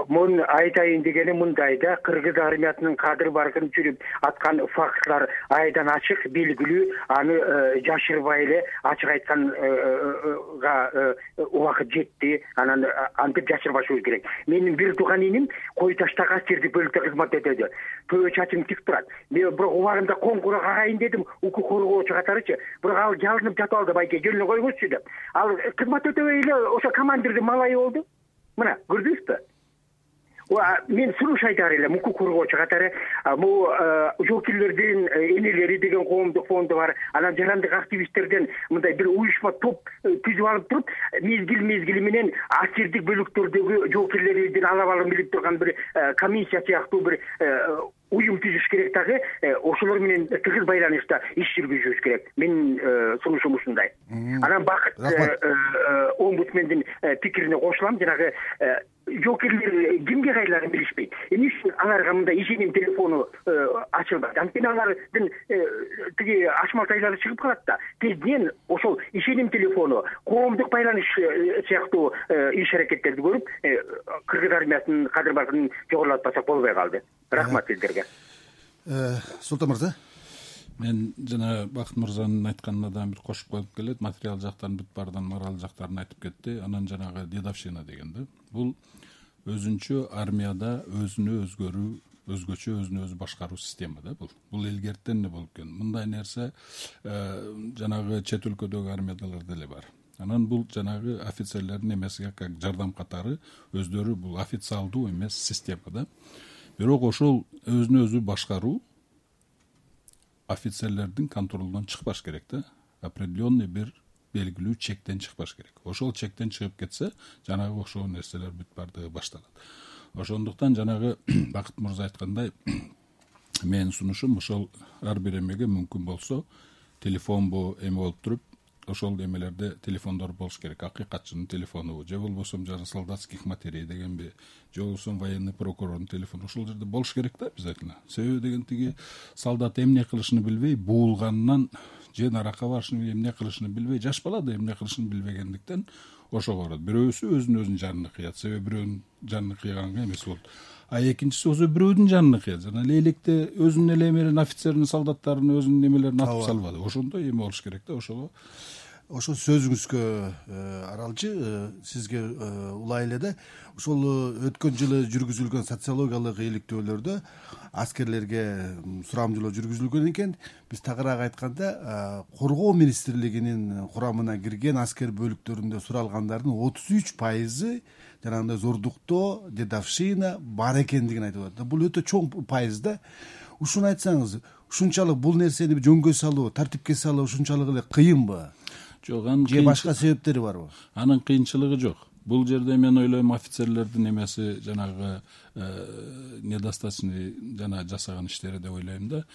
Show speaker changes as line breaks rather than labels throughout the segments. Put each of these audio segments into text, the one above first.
Мун айтайын дегени мындай да, кыргыз армиясынын кадыр баркын жүрүп аткан фактлар айдан ачык, белгилүү. Аны жашырбай эле ачык айтканга убакыт жетти. Анан антип жашырбашыбыз керек. Менин бир тууган иним Кой Таштагы аскердик бөлүктө кызмат өтөдү. Көбө чачым тик турат. Мен бирок убагында коңгура кагайын дедим, укук коргоочу катарычы. Бирок ал жалынып жатып алды, байке жөнүнө койгузчу деп. Ал кызмат өтөбөй эле ошо командирдин малайы болду. Мына көрдүңүзбү? Мен сунуш айтар элем, укук коргоочу катары бул жоокерлердин энелери деген коомдук фонду бар. Анан жарандык активисттерден мындай бир уюшма топ түзүп алып туруп, мезгил менен аскердик бөлүктөрдөгү жоокерлердин алабалын билип турган бир комиссия сыяктуу бир уюм түзүш керек дагы. Ошолор менен тыгыз байланышта иш жүргүзүбүз керек. Менин сунушум ушундай. Анан Бакыт омбудсмендин пикирине кошулам. Жанагы жоокерлер кимге кайрыларын билишпейт. Эмне үчүн аларга мындай ишеним телефону ачылбайт? Анткени алардын тиги ачмалтайлары чыгып калат да. Тезден ошол ишеним телефону, коомдук байланыш сыяктуу иш аракеттерди көрүп, кыргыз армиясынын кадыр баркынын жогорулатпасак болбой калды. Рахмат сиздерге.
Султан мырза.
Мен жана Бакыт мырзанын айтканына да бир кошуп коюп келет. Материал жактан бүт баардан мораль жактарын айтып кетти. Анан жанагы дедовщина деген да. Бул өзүнчө армияда өзгөчө өзүнө өзү башкаруу система да бул. Бул илгертен эле болуп келген. Мындай нерсе жанагы чет өлкөдөгү армиядалар деле бар. Анан бул жанагы офицерлердин эмесиге как жардам катары өздөрү бул официалдуу эмес система да. Бирок ошол өзүнө өзү башкаруу офицерлердин контролунан чыкпаш керек да. Определенный бир белгилүү чектен чыкпаш керек. Ошол чектен чыгып кетсе, жанагы ошол нерселер бүт бардыгы башталат. Ошондуктан жанагы Бакыт мырза айткандай, менин сунушум ошол ар бир эмеге мүмкүн болсо телефонбу эме болуп туруп, ошол эмелерде телефондор болуш керек. Акыйкатчынын телефону, же болбосо жана солдатских матерей дегенби, же болбосо военный прокурордун телефону ошол жерде болуш керек да обязательно. Себеби деген тиги солдат эмне кылышын билбей, буулганынан же наракка барышын эмне кылышын билбей, жаш бала да эмне кылышын билбегендиктен ошого барат. Бирөөсү өзүнүн жанын кыят, себеби бирөөнүн жанын кыйганга эмес болот. А экинчиси өзү бирөөдүн жанын кыят. Жана лейлекте өзүнүн эле эмелерин, офицердин, солдаттарын өзүнүн эмелерин атып салбады. Ошондой эме болуш керек да, ошого.
Ошол сөзүңүзгө аралчы сизге улай эле да, ошол өткөн жылы жүргүзүлгөн социологиялык иликтөөлөрдө аскерлерге сурамжылоо жүргүзүлгөн экен. Биз тагыраак айтканда, коргоо министрлигинин курамына кирген аскер бөлүктөрүндө суралгандардын 33% жанагындай зордуктоо, дедовщина бар экендигин айтып атат. Бул өтө чоң пайыз да. Ушуну айтсаңыз, ушунчалык бул нерсени жөнгө салуу, тартипке салуу ушунчалык эле кыйынбы?
Жок, анын
же башка себептери барбы?
Анын кыйынчылыгы жок. Бул жерде мен ойлойм, офицерлердин эмеси жанагы недостаточный жана жасаган иштери деп ойлойм да.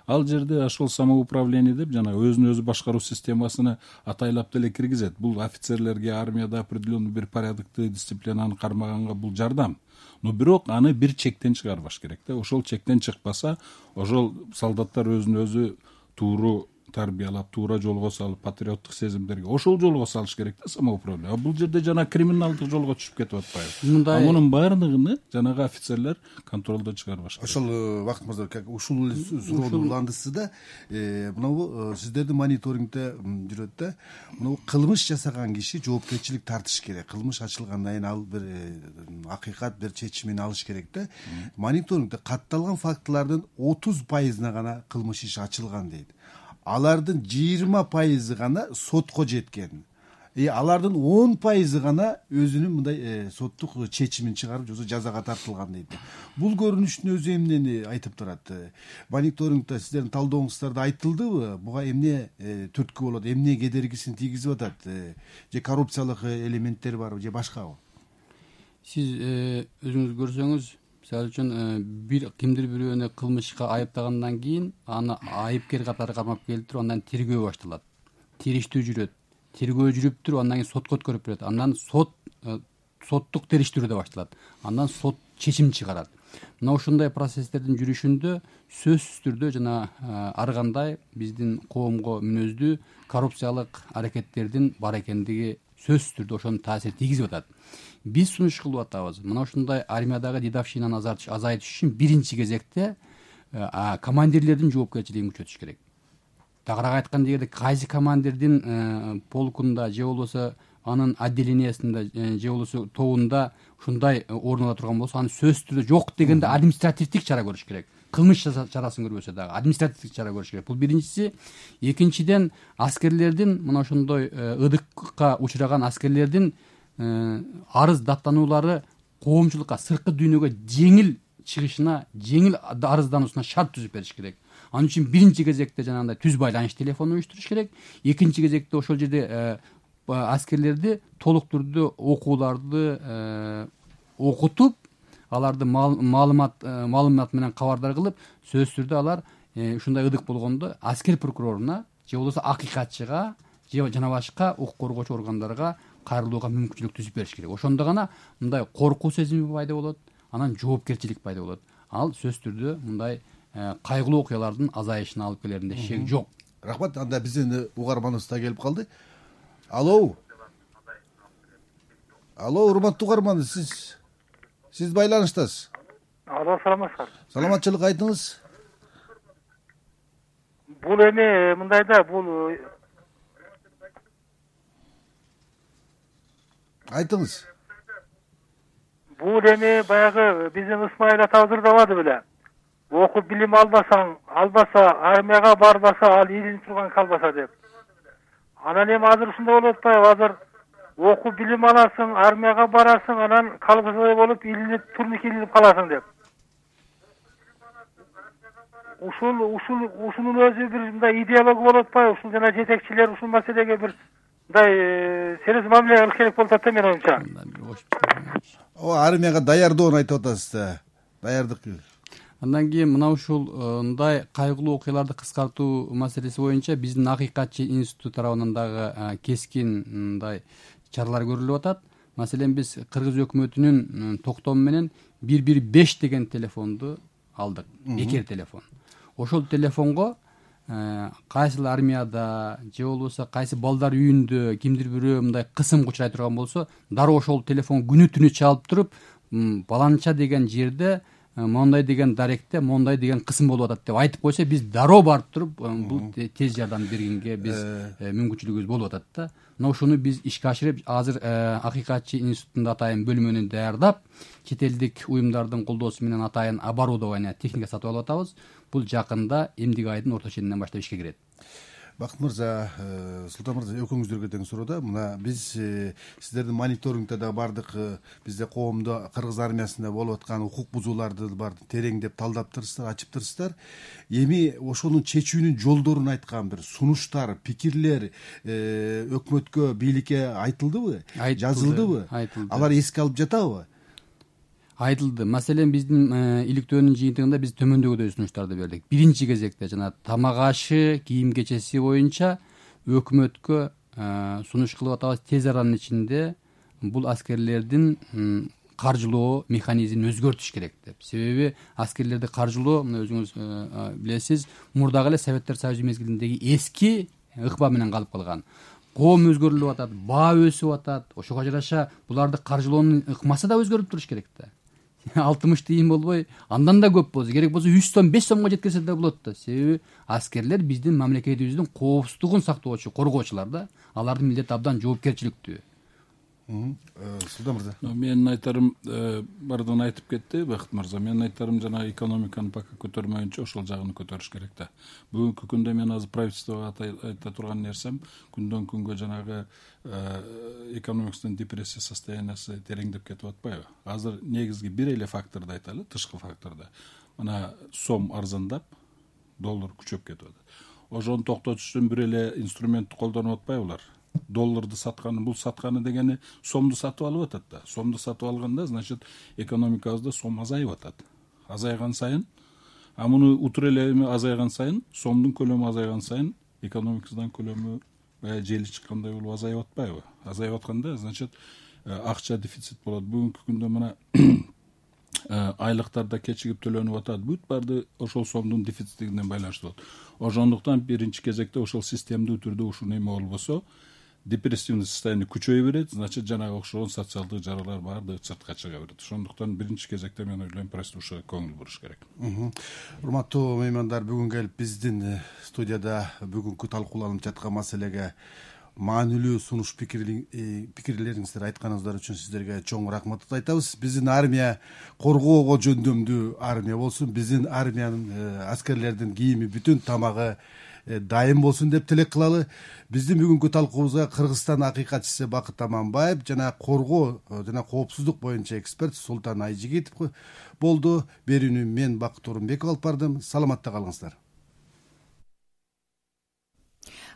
Ал жерде ошол самоуправление деп жана өзүнө өзү башкаруу системасына атайлап деле киргизет. Бул офицерлерге армияда определенный бир порядокты, дисциплинаны кармаганга бул жардам. Но бирок аны бир чектен чыгарбаш керек да. Ошол чектен чыкпаса, ошол солдаттар өзүнө өзү тууру тарбиялап, туура жолго салып, патриоттук сезимдерге ошол жолго салыш керек да самоуправление. А бул жерде жана криминалдык жолго түшүп кетип атпайбы? Мунун баардыгын жанагы офицерлер контролдон чыгарбаш керек.
Ошол Бакыт мырза, ушул суроону уландысыз да. Мына сиздердин мониторингде жүрөт да. Мына кылмыш жасаган киши жоопкерчилик тартыш керек. Кылмыш ачылгандан кийин ал бир акыйкат, бир чечимин алыш керек да. Мониторингде катталган фактылардын 30%-на гана кылмыш иши ачылган дейт. Алардын 20% гана сотко жеткен. Алардын 10% гана өзүнүн мындай соттук чечимин чыгарып, же жазага тартылган дейт. Бул көрүнүштүн өзү эмнени айтып турат? Мониторингде сиздердин талдооңуздарда айтылдыбы? Буга эмне түрткү болот? Эмне кедергисин тийгизип атат? Же коррупциялык элементтер барбы, же башкабы?
Сиз өзүңүз көрсөңүз, мисалы үчүн кимдир бирөөнү кылмышка айыптагандан кийин аны айыпкер катары камап келтирип, андан тергөө башталат. Териштүү жүрөт. Тергөө жүрүп туруп, андан кийин сотко өткөрүп берет. Андан соттук териштүүрү башталат. Андан сот чечим чыгарат. Мына ушундай процесстердин жүрүшүндө сөзсүз түрдө жана ар кандай биздин коомго мүнөздүү коррупциялык аракеттердин бар экендиги сөзсүз түрдө ошонун таасирин тийгизип атат. Биз сунуш кылып атабыз, мына ушундай армиядагы дедовщинаны азайтыш үчүн биринчи кезекте командирлердин жоопкерчилигин күчөтүш керек. Тагыраак айтканда, эгерде кайсы командирдин полкунда же болбосо анын отделениясында же болбосо тобунда ушундай орун ала турган болсо, аны сөзсүз түрдө жок дегенде административдик чара көрүш керек. Кылмыш чарасын көрбөсө дагы административдик чара көрүш керек. Бул биринчиси. Экинчиден, аскерлердин мына ошондой ыдыкка учураган аскерлердин арыз даттануулары коомчулукка, сырткы дүйнөгө жеңил чыгышына, жеңил арыздануусуна шарт түзүп бериш керек. Анын үчүн биринчи кезекте жанагындай түз байланыш телефонун уюштуруш керек. Экинчи кезекте ошол жерде аскерлерди толук түрдө окууларды окутуп, аларды маалымат менен кабардар кылып, сөзсүз түрдө алар ушундай ыдык болгондо аскер прокуроруна же болбосо акыйкатчыга же жана башка укук коргоочу органдарга кайрылууга мүмкүнчүлүк түзүп бериш керек. Ошондо гана мындай коркуу сезими пайда болот, анан жоопкерчилик пайда болот. Ал сөзсүз түрдө мындай кайгылуу окуялардын азайышына алып келеринде шек жок.
Рахмат. Анда биздин угарманыбыз да келип калды. Алло, урматтуу угарман, сиз байланыштасыз.
Алло, саламатсызбы?
Саламатчылык, айтыңыз.
Бул эми мындай да, бул
Айтыңыз.
Бул эми баягы биздин Исмаил атабыз ырдабады беле. Окуп билим албаса, армияга барбаса, ал илинип турган калбаса деп. Анан эми азыр ушундай болуп атпайбы? Азыр окуп билим аласың, армияга барасың, анан калбасадай болуп илинип, турник илинип каласың деп. Ушунун өзү бир мындай идеология болуп атпайбы? Ушул жана жетекчилер ушул маселеге бир мындай сериз мамиле кылыш керек болуп атат да, менин оюмча.
Армияга даярдоону айтып атасыз да. Даярдык.
Андан кийин мына ушундай кайгылуу окуяларды кыскартуу маселеси боюнча биздин Акыйкатчы институту тарабынан дагы кескин мындай чаралар көрүлүп атат. Маселен, биз Кыргыз өкмөтүнүн токтому менен 115 деген телефонду алдык, бекер телефон. Ошол телефонго кайсыл армияда же болбосо кайсы балдар үйүндө кимдир бирөө мындай кысымга учурай турган болсо, дароо ошол телефон күнү түнү чалып туруп, баланча деген жерде мондай деген даректе мондай деген кысым болуп атат деп айтып койсо, биз дароо барып туруп бул тез жардам бергенге биз мүмкүнчүлүгүбүз болуп атат да. Мына ушуну биз ишке ашырып, азыр Акыйкатчы институтунда атайын бөлмөнү даярдап, чет элдик уюмдардын колдоосу менен атайын оборудование, техника сатып алып атабыз. Бул жакында эмдиги айдын орто ченинен баштап ишке кирет.
Бакыт мырза, Султан мырза, экөөңүздөргө тең суроо да. Мына биз сиздердин мониторингде да бардык, бизде коомдо Кыргыз армиясында болуп аткан укук бузууларды тереңдеп талдаптырсыздар, ачыптырсыздар. Эми ошонун чечүүнүн жолдорун айткан бир сунуштар, пикирлер өкмөткө, бийликке айтылдыбы? Жазылдыбы?
Айтылды.
Алар эске алып жатабы?
Айтылды. Маселен, биздин иликтөөнүн жыйынтыгында биз төмөндөгүдөй сунуштарды бердик. Биринчи кезекте жана тамак ашы, кийим кечеси боюнча өкмөткө сунуш кылып атабыз. Тез аранын ичинде бул аскерлердин каржылоо механизмин өзгөртүш керек деп. Себеби аскерлерди каржылоо, мына өзүңүз билесиз, мурдагы эле Советтер Союзу мезгилиндеги эски ыкма менен калып калган. Коом өзгөрүлүп атат, баа өсүп атат. Ошого жараша буларды каржылоонун ыкмасы да өзгөрүп туруш керек да. 60 тыйын болбой, андан да көп болсо, керек болсо 100 сом, 5 сомго жеткирсе да болот да. Себеби аскерлер биздин мамлекетибиздин коопсуздугун сактоочу, коргоочулар да. Алардын милдети абдан жоопкерчиликтүү.
Султан мырза.
Менин айтарым бардыгын айтып кетти Бакыт мырза. Менин айтарым жана экономиканы пока көтөрмөйүнчө ошол жагын көтөрүш керек да. Бүгүнкү күндө мен азыр правительствого айта турган нерсем, күндөн күнгө жанагы экономикасынын депрессия состояниясы тереңдеп кетип атпайбы? Азыр негизги бир эле факторду айталы, тышкы факторду. Мына сом арзандап, доллар күчөп кетип атат. Ошону токтотуш үчүн бир эле инструментти колдонуп атпайбылар? Долларды сатканы, бул сатканы дегени сомду сатып алып атат да. Сомду сатып алганда, значит, экономикабызда сом азайып атат. Азайган сайын, муну утур эле азайган сайын, сомдун көлөмү азайган сайын, экономикабыздан көлөмү жели чыккандай болуп азайып атпайбы? Азайып атканда, значит, акча дефицит болот. Бүгүнкү күндө мына айлыктарда кечигип төлөнүп атат. Бүт барды ошол сомдун дефицитине байланыштуу болот. Ошондуктан биринчи кезекте ошол системдүү түрдө ушул эме болбосо, депрессивный состояние күчөйө берет, значит жанагы окшогон социалдык жаралар баардыгы сыртка чыга берет. Ошондуктан биринчи кезекте мен ойлойм прослушивать көңүл буруш керек.
Урматтуу меймандар, бүгүн келип биздин студияда бүгүнкү талкууланып жаткан маселеге маанилүү сунуш пикирлериңизди айтканыңыздар үчүн сиздерге чоң рахмат айтабыз. Биздин армия коргоого жөндөмдүү армия болсун, биздин армиянын аскерлердин кийими, бүтүн тамагы дайым болсун деп тилек кылалы. Биздин бүгүнкү талкуубузга Кыргызстан акыйкатчысы Бакыт Аманбаев жана коргоо жана коопсуздук боюнча эксперт Султан Айжигитов болду. Берүүнү мен Бакыт Орунбеков алып бардым. Саламатта калыңыздар.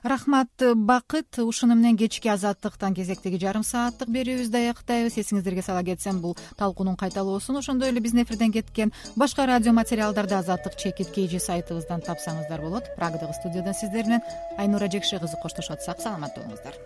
Рахмат Бакыт. Ушуну менен кечки Азаттыктан кезектеги жарым сааттык берүүбүздү аяктайбыз. Эсиңиздерге сала кетсем, бул талкуунун кайталоосун ошондой эле биздин эфирден кеткен башка радио материалдарды Азаттык чекит KG сайтыбыздан тапсаңыздар болот. Прагадагы студиядан сиздер менен Айнура Жекше кызы коштошуп атсак, саламатта болуңуздар.